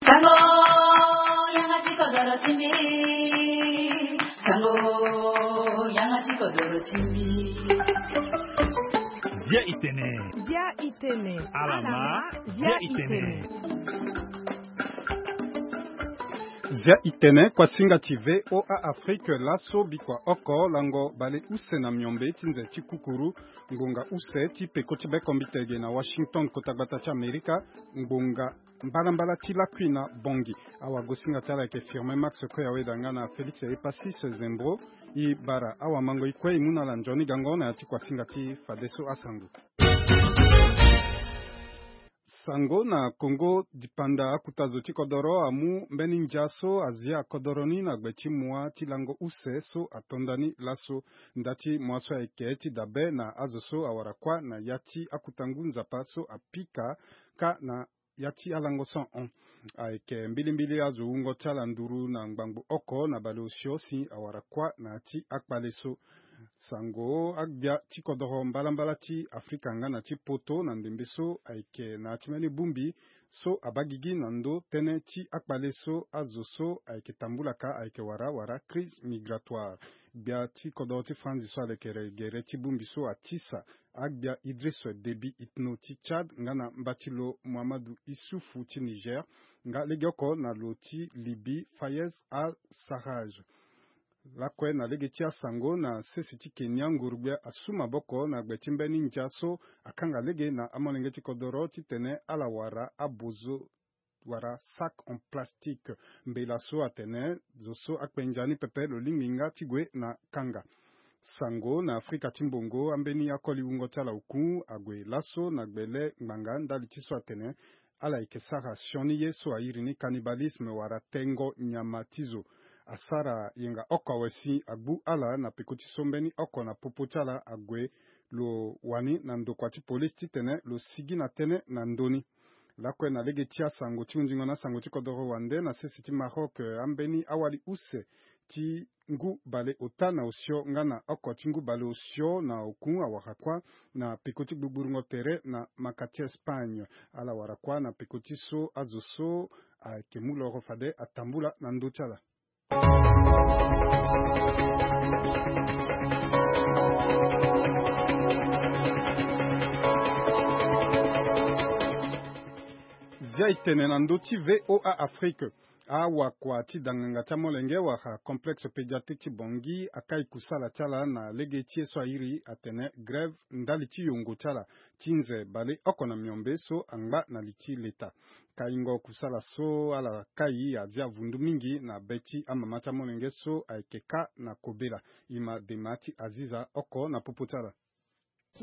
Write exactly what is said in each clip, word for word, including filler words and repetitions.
Sango, yanga ti kodoro ti mbi. Sango, yanga ti kodoro ti mbi. Zia itene. Zia itene. Alama. Alama, zia zia itene. Itene. Zia itene, kuasinga ti V O A Afrique, laso bikua oko lango bale use na miombe ti nze ti kukuru, ngbonga use ti peko ti bekombitege na Washington, kota gbata ti Amerika, ngbonga mbalambala ti lakui na Bangui. Awagosinga ti ala ayeke Firmin Max Koyaweda nga na Félix Epasis Zembro. E bara awamango e kue e mu na ala nzoni gango na ya ti kuasinga ti fadeso asango. Sango na Kongo dipanda, akuta zo ti kodoro amu mbeni ndia so azia kodoro ni na gbe ti mua ti lango use so atonda ni laso. Nda ti mua so ayeke ti dabe na azo so awara kuâ na ya ti akuta ngu nzapa so apika kâ na ya ti alango so ahon. Ayeke mbilimbili azo wungo ti ala nduru na ngbangbo oko na baleosio si awara kuâ na ya ti akpale so. Sango agbia ti kodoro mbalambala ti Afrika nga na ti poto na ndembe so ayeke na ya ti mbeni bongbi so abaa gigi na ndö tënë ti akpale so azo so ayeke tambula ka ayeke wara wara crise migratoire. Gbia ti kodoro ti Franzi so alekere gere ti bongbi so atisa agbia Idriss Déby Itno ti Tchad nga na mba ti lo Mohamedou Issoufou ti Niger, nga legeoko na lo ti Libye Fayez Al-Sarraj. Lakue na lege ti asango, na sese ti Kenya, nguru-gbia asu maboko na gbe ti mbeni ndia so akanga lege na amolenge ti kodoro titene ala wara abozo wala sac en plastique. Mbela so atene zo so akpe ndia ni pepe lo lingbi nga ti gue na kanga. Sango na Afrika ti mbongo, ambeni akoli wungo ti ala oku ague laso na gbele ngbanga ndali ti so atene ala yeke sara sioni ye so airi ni cannibalisme wala tengo nyama ti zo. Asara yenga oko awe si agbu ala na peko ti so mbeni oko na popo ti ala ague lo wani na ndokua ti polisi titene lo sigi na tënë na ndö ni. Lakue na lege ti asango ti hundingo na asango ti kodoro wande, na sese ti Maroc, eh, ambeni awali use ti ngu bale ota na osio nga na oko ti ngu bale osio na oku awara kuâ na peko ti gbugburungo tere na maka ti Espagne. Ala wara kuâ na peko ti so azo so ayeke mu loro fade atambula na ndö ti ala. Zia e tene na ndö ti V O A Afrique. Awakua ti danganga ti amolenge wala complexe pédiatrique ti Bangui akai kusala ti ala na lege ti ye so airi atene grève ndali ti yongo ti ala ti nze baleoko na miombe so angba na li ti leta. Kaingo kusala so ala kai azia vundu mingi na be ti amama ti amolenge so ayeke kâ na kobela. E ma dema ti Aziza oko na popo ti ala.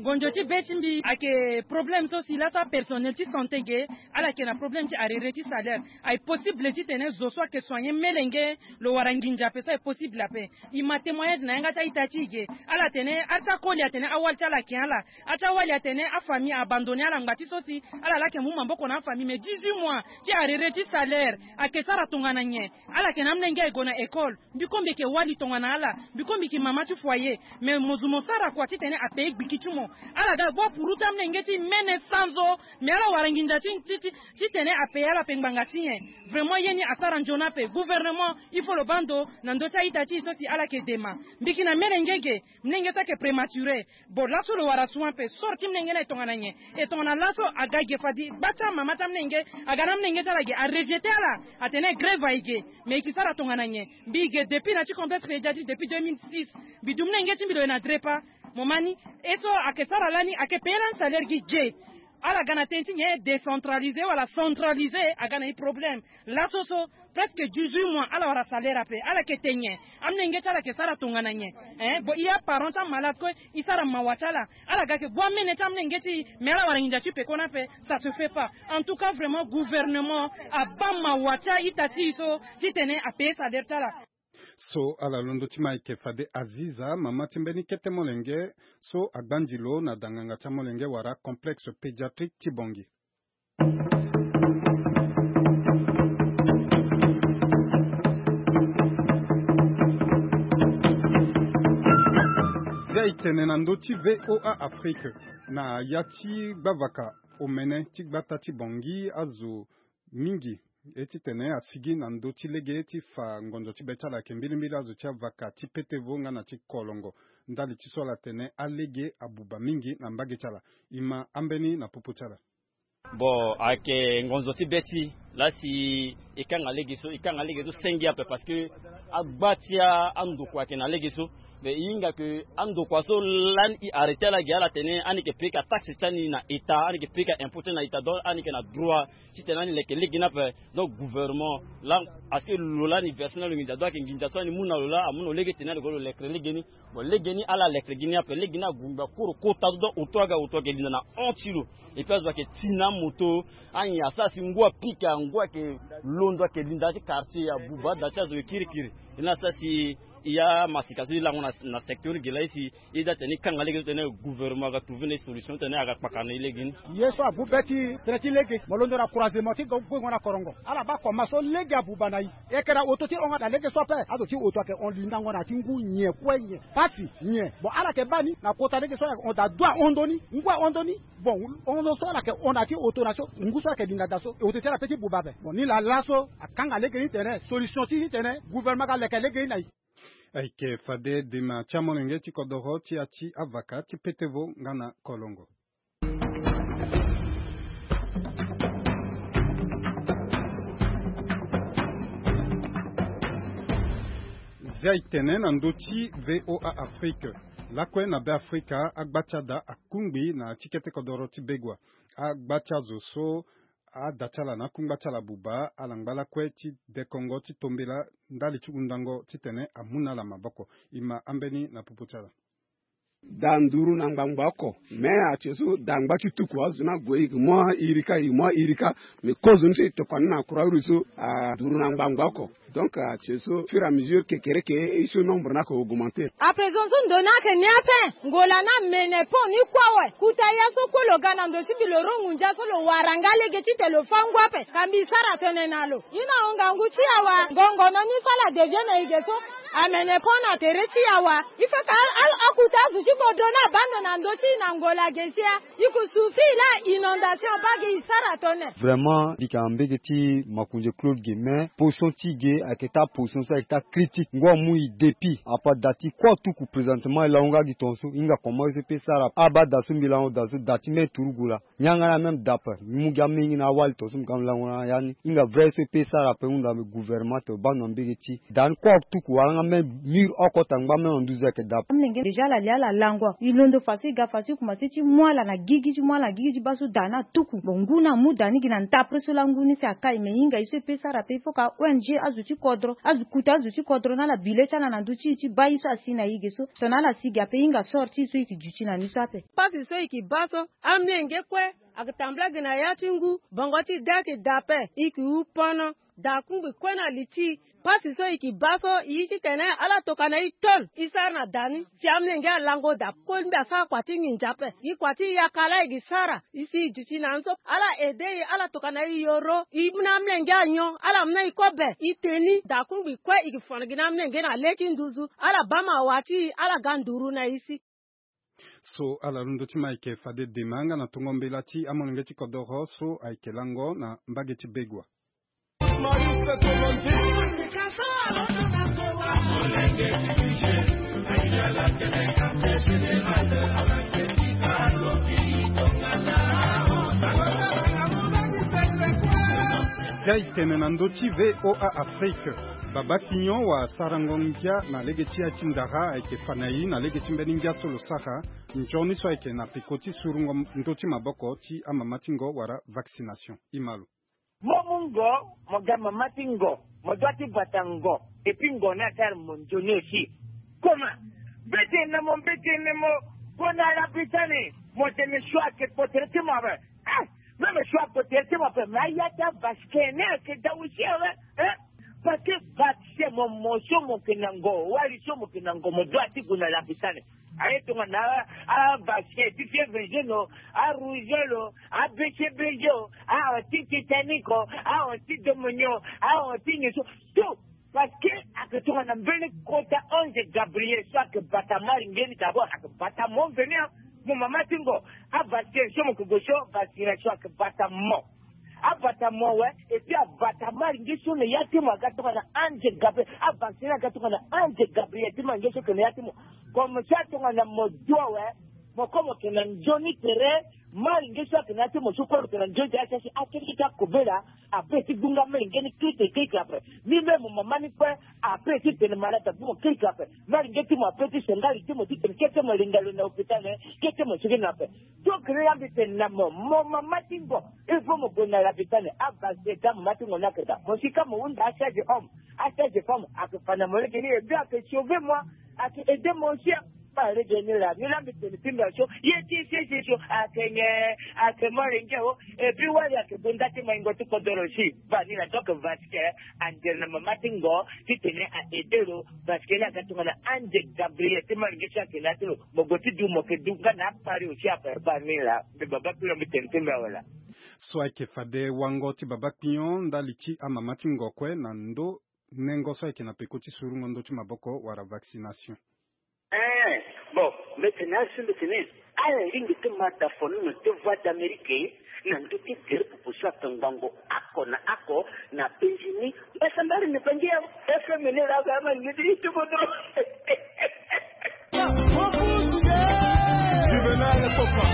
Ngonzo ti be ti mbi ayeke problème so si laso apersonnel ti santé ge, ala yeke na problème ti arrerer ti salaire. Aye possible titene zo so ayeke soigner melenge lo wara nginza ape so aye possible ape. E ma témoignage na yanga ti a-ita ti e ge. Ala tene, a ti akoli atene awali ti ala ayeke ala. A ti awali atene afamille a abandonné ala ngba ti so si ala laa ayeke mu maboko na afamille, mais dix-huit mois ti arrerer ti salaire ayeke sara tongana nyen? Ala yeke na amolenge aye gue na école. Mbi kue mbi yeke wali tongana ala. Mbi kue mbi yeke mama ti foyer. Mais mo zo mo sara kua titene apayer gbiki ti mo. Ala ga gbu apuru ti amolenge ti e mene sanzo. Mais ala wara nginza ti, ti, ti, titene apayer ala ape ngbanga ti nyen? Vraiment ye ni asara nzoni ape. Gouvernement, il faut lo baa ndo na ndö ti a-ita ti e so si ala yeke dema. Mbi yeke na melenge ge, molenge so ayeke prématuré. Bon, laso lo wara soin ape, sort ti molenge ni aye tongana nyen? E tongana laso aga ge fade gba ti amama ti amolenge, aga na amolenge ti ala ge, arejeté ala, atene grève aye ge. Mais e yeke sara tongana nyen? Mbi ge depuis na ti complexe pédiatrique depuis deux mille six. Mbi du molenge ti mbi lo ye na Drepa. Mo ma ni, e so ayeke sara lani, ayeke payer lani salaire gi ge. Ala ga na tënë ti nyen? Décentralisé wala centralisé, aga na e problème. Laso so, presque dix-huit mois, ala wara salaire ape, ala yeke te nyen? Amolenge ti ala yeke sara tongana nyen? Hein? Bon, e a parent ti amalade kue, e sara mawa ti ala. Ala ga yeke gbu amene ti amolenge ti e, mais ala wara nginza ti peko ni ape, ça se fait pas. En tout cas, vraiment, gouvernement abaa mawa ti a-ita ti e so, titene apayer salaire ti ala. So ala londo ti ma ayeke fade Aziza, mama ti mbeni kete molenge so agbanzi lo na danganga ti amolenge wala complexe pédiatrique ti Bangui. Zia e tene na ndö ti V O A Afrique. Na ya ti gbavaka omene ti gbata ti Bangui, azo mingi E titene asigi na ndö ti lege ti fa ngonzo ti be ti ala ayeke mbilimbili azo ti avaka ti petevo nga na ti kolongo. Ndali ti so ala tene alege abuba mingi na mbage ti ala. E ma ambeni na popo ti ala. Bon, ayeke ngonzo ti be ti la si e kanga lege so, e kanga lege so senge ape parce que agba ti a- andokua ayeke na lege so. Mais e hinga ke andokua so lani e arrêté ala gi ala tene ani yeke payé ka taxe ti ani na état, ani yeke payé ka impôt ti ani na état, donc ani yeke na droit titene ani leke lege ni ape. Donc gouvernement la, parce que lo lani verse na lo nginza, donc ayeke nginza so ani mu na lo la amu na lo lege tene ani gue lo lekere lege ni. Bon, lege ni ala lekere gi ni ape, lege ni agungba koro kota so, donc auto aga auto ayeke linda na hon ti lo. Et puis azo ayeke ti na amoto, anyen asara si ngu apika, ngu ayeke londo, ayeke linda ti quartier abuba, ada ti azo kirikiri. E na asara si e ya masika so e lango na, na secteur gi la, e si e da tene e kanga lege so tene gouvernement aga trouver na e solution tene aga kpaka na e lege ni. Ye so abu be ti tene ti lege mo londo na croisement ti go- guengo na korongo. Ala baa koma so lege abuba na e. E yeke na auto ti hon nga na lege so ape. Azo ti auto ayeke hon lindango na ya ti ngu nyen kue nyen. Pasi nyen. Bon, ala yeke baa ni na kota lege so ala yeke hon daa du ahon ndoni. Ngu ahon ndoni. Bon, hon so ala yeke hon na ya ti auto na so ngu so ala yeke linda daa so auto ti ala pe ti buba ape. Bon, ni laa laso akanga lege ni tene solution ti ni tene gouvernement aga leke lege ni na e. Ayeke fade dema ti amolenge ti kodoro ti ya ti avaka ti petevo nga na kolongo. Zia e tene na ndö ti V O A Afrique. Lakue na Be Afrika, agba ti ada akungbi na ya ti kete kodoro ti Begua. Agba ti azo so ada ti ala na akungba ti ala abuba ala ngba lakue ti dekongo ti tombela ndali ti hundango titene amu na ala maboko. E ma ambeni na popo ti ala. Da nduru na ngbangba oko. Me atie so da ngba ti tuku azo ni ague, e yeke mu airika, e yeke mu airika. Me kozo ni so e tokua ni na Croix Rouge so, a nduru na ngbangba oko. Donc atie so fur et à mesure kekereke e so nombre ni ayeke augmenter. Après zo so ndo ni ayeke ni ape. Ngola ni amene pont ni kue awe. Kuta ya so kue lo ga na ndo ti mbi lo ro ngunza so lo wara nga lege titene lo fâ ngu ape. Ka mbi sara tënë na lo. Ye na ahon ngangu ti e awa. Ngongono ni so ala devient na e ge so. Amene pont na tere ti e awa. Il faut que a- a- akuta azo ti kodro ni abaa ndo na ndö ti e na ngola ge sia. E ke souffrir la inondation baa ge e sara tënë. Vraiment mbi yeke na mbege ti makonze Claude ge, mais position ti e ge ayeke taa position so ayeke taa critique. Ngu amu e depuis apa da ti kue atuku présentement e lango nga gi tongaso e hinga comment e so e pe sara. Abaa da so mbi lango da so da ti même turugu laa. Yanga na même da ape mbi mu gi amenge na awali tongaso mbi ga mbi lango na ya ni. E hinga vrai so e pe sara ape hunda mbi gouvernement to baa ndo na mbege ti e. Da ni kue atuku wala nga même mur oko ota ngba même na nduzu ayeke da ape. Amolenge déjà ala li ala lango awe. E londo fa so e ga fa so e komanse ti mu ala na gigi ti mu ala na gigi ti baa so da ni atuku. Bon ngu ni amu da ni gi na ndapre so laa ngu ni si akai me e hinga e so e pe sara ape il faut ka O N G azo ti kodro azo kuta azo ti kodro na ala bile ti ala na ndö ti e ti baa e so asi na e ge so. Tongana ala si ge ape e hinga sort ti e so e yeke duti na ni so ape. Pasi so e yeke baa so amolenge kue ayeke tambula gi na ya ti ngu. Bongo ti da ayeke da ape e yeke hu pono. Da akungbi kue na li ti e. Pasi so e yeke baa so e ye titene ala toka na e tol e sara na da ni. Si amolenge alango da kue mbi asara kua ti nginza ape. E kua ti yaka laa e yeke sara e si e duti na ni so ala aide e ala toka na e yoro e mu na amolenge anyon ala mu na e kobe e te ni. Da akungbi kue e yeke fono gi na amolenge na le ti nduzu ala baa mawa ti e ala ga nduru na e si. So ala londo ti ma ayeke fade dema nga na tongo mbela ti amolenge ti kodoro so ayeke lango na mbage ti Begua. Zia e tene na ndö ti V O A Afrique. Baba Kignon wala sarango ngia na lege ti ya ti ndara ayeke fa na e na lege ti mbeni ngia so lo sara. Nzoni so ayeke na peko ti surungo ndö ti maboko ti amama ti ngo wala vaccination. E ma lo. Mo mu ngo, mo ga mama ti ngo, mo doit ti bata ngo. Et puis ngo ni asara mo nzoni aussi. Comment? Mbeti na mo, mbeti na mo. Gue na Arabie Saoudite, mo tene choix ayeke kpo tere ti mo ape. Ah, même choix kpo tere ti mo ape, mais aya ti avasquin ni ayeke da aussi awe. Hein? Parce que vaccin mo, mo so mo yeke na ngo, wali so mo yeke na ngo, mo doit ti gue na Arabie Saoudite. Aye tongana avasquin ti fièvre jaune o, arougeole o, a B C B G o, ahon ti Titanic o, ahon ti Dominion, ahon ti nyen so, tout. Parce que ayeke tongana mbeni kota ange Gabriel so ayeke bata mo aringeni d'abord, ayeke bata mo veni. Mo mama ti ngo, avasquin so mo yeke gue so, vaccination ayeke bata mo. Abata mo awe. Et puis abata malinge so na ya ti mo aga tongana ange Gabriel. Avacciner aga tongana ange Gabriel ti malinge so ayeke na ya ti mo. Comme ça tongana mo du awe, mo kue mo yeke na nzoni tere. Malinge so ayeke na ya ti mo so kue mo yeke na nzoni tere, asi asi akeke ti akobela. Ape ti gbunga malinge ni krite krite ape. Ni même mama ni kue ape ti tene malade ape ti mo krite ape. Malinge ti mo ape ti sengari ti mo ti tene kete mo linga lo na hôpital, kete mo sigi na ape. Donc ni la mbi tene na mo, mo mama ti ngo, il faut mo gue na lapitani. Abase da mama ti ngo ni ayeke daa. Mo si ka mo hunda asage homme, asage femme ayeke fa na mo lege ni, et puis ayeke sauver moi, ayeke aider moi aussi. Ba lege ni la, ni la mbi tene ti mbi aso, ye ti sese so ayeke nyen? Ayeke mo lenge o. Et puis wali ayeke gue nda ti maingo ti kodoro si. Ba ni la, donc parce que angel na mama ti ngo ti tene a aider lo, parce que ni aga tongana ange Gabriel ti malinge so ayeke na ya ti lo. Mo gue ti du, mo yeke du nga na akpari aussi ape. Ba ni la, mbi baba kpiri mbi tene ti mbi awe la. So ayeke fade wango ti baba kpinyo ndali ti amama ti ngo kue na ndo nengo so ayeke na peko ti surungo ndö ti maboko wala vaccination. Eh, bon, mbi tene asi mbi tene ala lingbi ti ma da fonono ti Voix d'Amérique na ndö ti gere pupu so ayeke ngbongo oko na oko na penzi ni. Mbasambari ni bangi ya F M ni la ga ma ni ti ti bodo. Juvenal Kopa.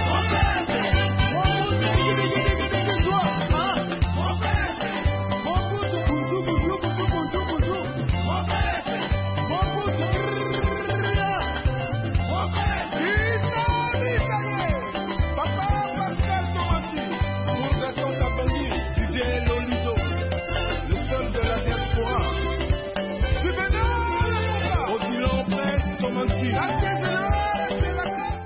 Papa Pascal Tomanti, pour Gaston Tabangi, Didier Lolizo, le seul de la diaspora. Juvenal Odilon Prince Tomanti.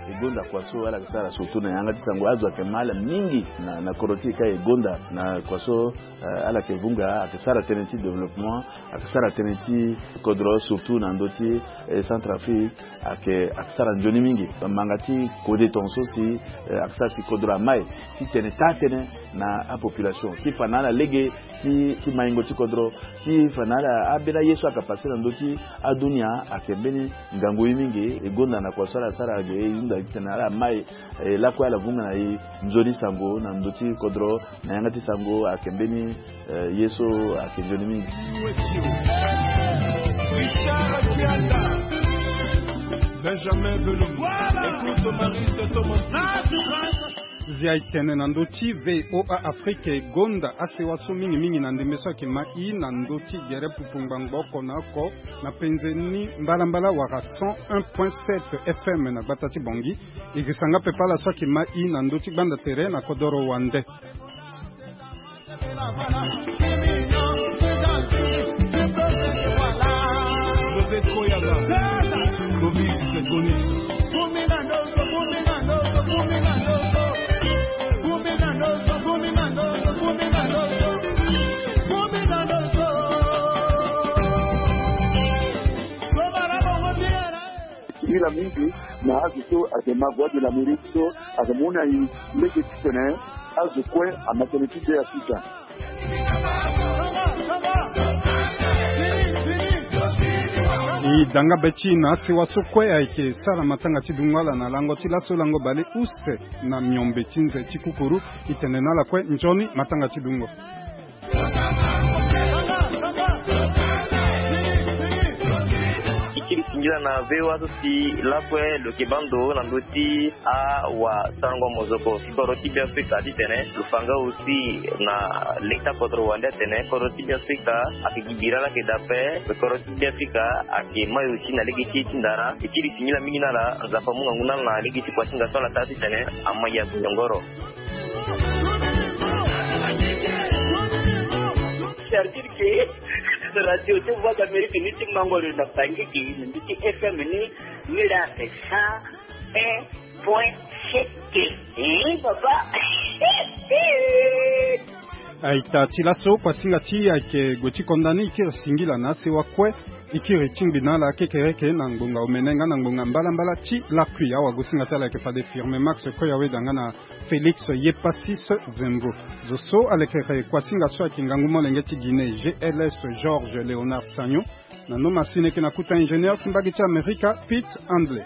E gonda kua so ala yeke sara surtout na yanga ti sango, azo ayeke mal mingi na, na kodro ti e ka e gonda na kua so, eh, ala yeke vunga, ayeke sara tënë ti développement, ayeke sara tënë ti kodro, surtout na ndö ti, eh, Centrafrique, ayeke, ayeke sara nzoni mingi. Manga ti kode tongaso si, eh, ayeke sara si kodro amai ti tene taa-tënë na apopulation ti fa na ala lege ti, ti maingo ti kodro, ti fa na ala ambeni aye so ayeke pase na ndö ti adunia ayeke mbeni ngangu ye mingi. E gonda na kua so ala sara ge, e hunda titene ala mai, e lakue ala vunga na e nzoni sango na ndö ti kodro, na yanga ti sango ayeke mbeni, eh, ye so ayeke nzoni mingi. Richard Kianda, Benjamin Belombo, écoute Maurice Thomas. Zia e tene na ndö ti V O A Afrique e gonda asewa so mingi mingi na ndembe so ayeke ma i na ndö ti gere pupu ngbangbo oko na oko na penze ni mbalambala wala cent un point sept F M na gbata ti Bangui. E girisa nga pepe ala so ayeke ma i na ndö ti gbanda tere na kodoro wande. José Koyaba, Clovis Segoniste. Singila mingi na azo so ayeke ma Voix de l'Amérique so ayeke mu na e lege titene azo kue ama tënë ti Be Afrika. E da nga be ti e na asewa so kue ayeke sara matanga ti dungo ala na lango ti laso lango bale use na miombe ti nze ti kukuru. E tene na ala kue nzoni matanga ti dungo. E kiri singila na V O A so si lakue lo yeke baa ndo na ndö ti awasarango mozoko ti kodro ti Be Afrika titene lo fa nga aussi na lege ti akodro wande atene kodro ti Be Afrika ayeke gi bira laa ayeke daa ape. Kodro ti Be Afrika ayeke mai aussi na lege ti e ti ndara. E kiri singila mingi na ala, Nzapa amu ngangu na ala na lege ti kua ti nga so ala taa titene ama ya nyongoro. C'est-à-dire que radio ti Voix d'Amérique ni ti mango lo na Bangui, na ndö ti F M ni, ni la c'est cent un point sept. Eh, papa. Aita ti laso, kuasinga ti e ayeke gue ti konda ni, e kiri singila na asewa kue. E kiri tingbi na ala kekereke na ngbonga omene nga na ngbonga mbalambala ti lakui. Awagosinga ti ala ayeke fade Firme Max Koyaweda nga na Félix Yepassis Zembro. Zo so alekere kuasinga so ayeke ngangu molenge ti Guinée, G L S Georges Léonard Sagnon. Na noma si ni yeke na kuta ingénieur ti mbage ti Amerika, Pete Handley.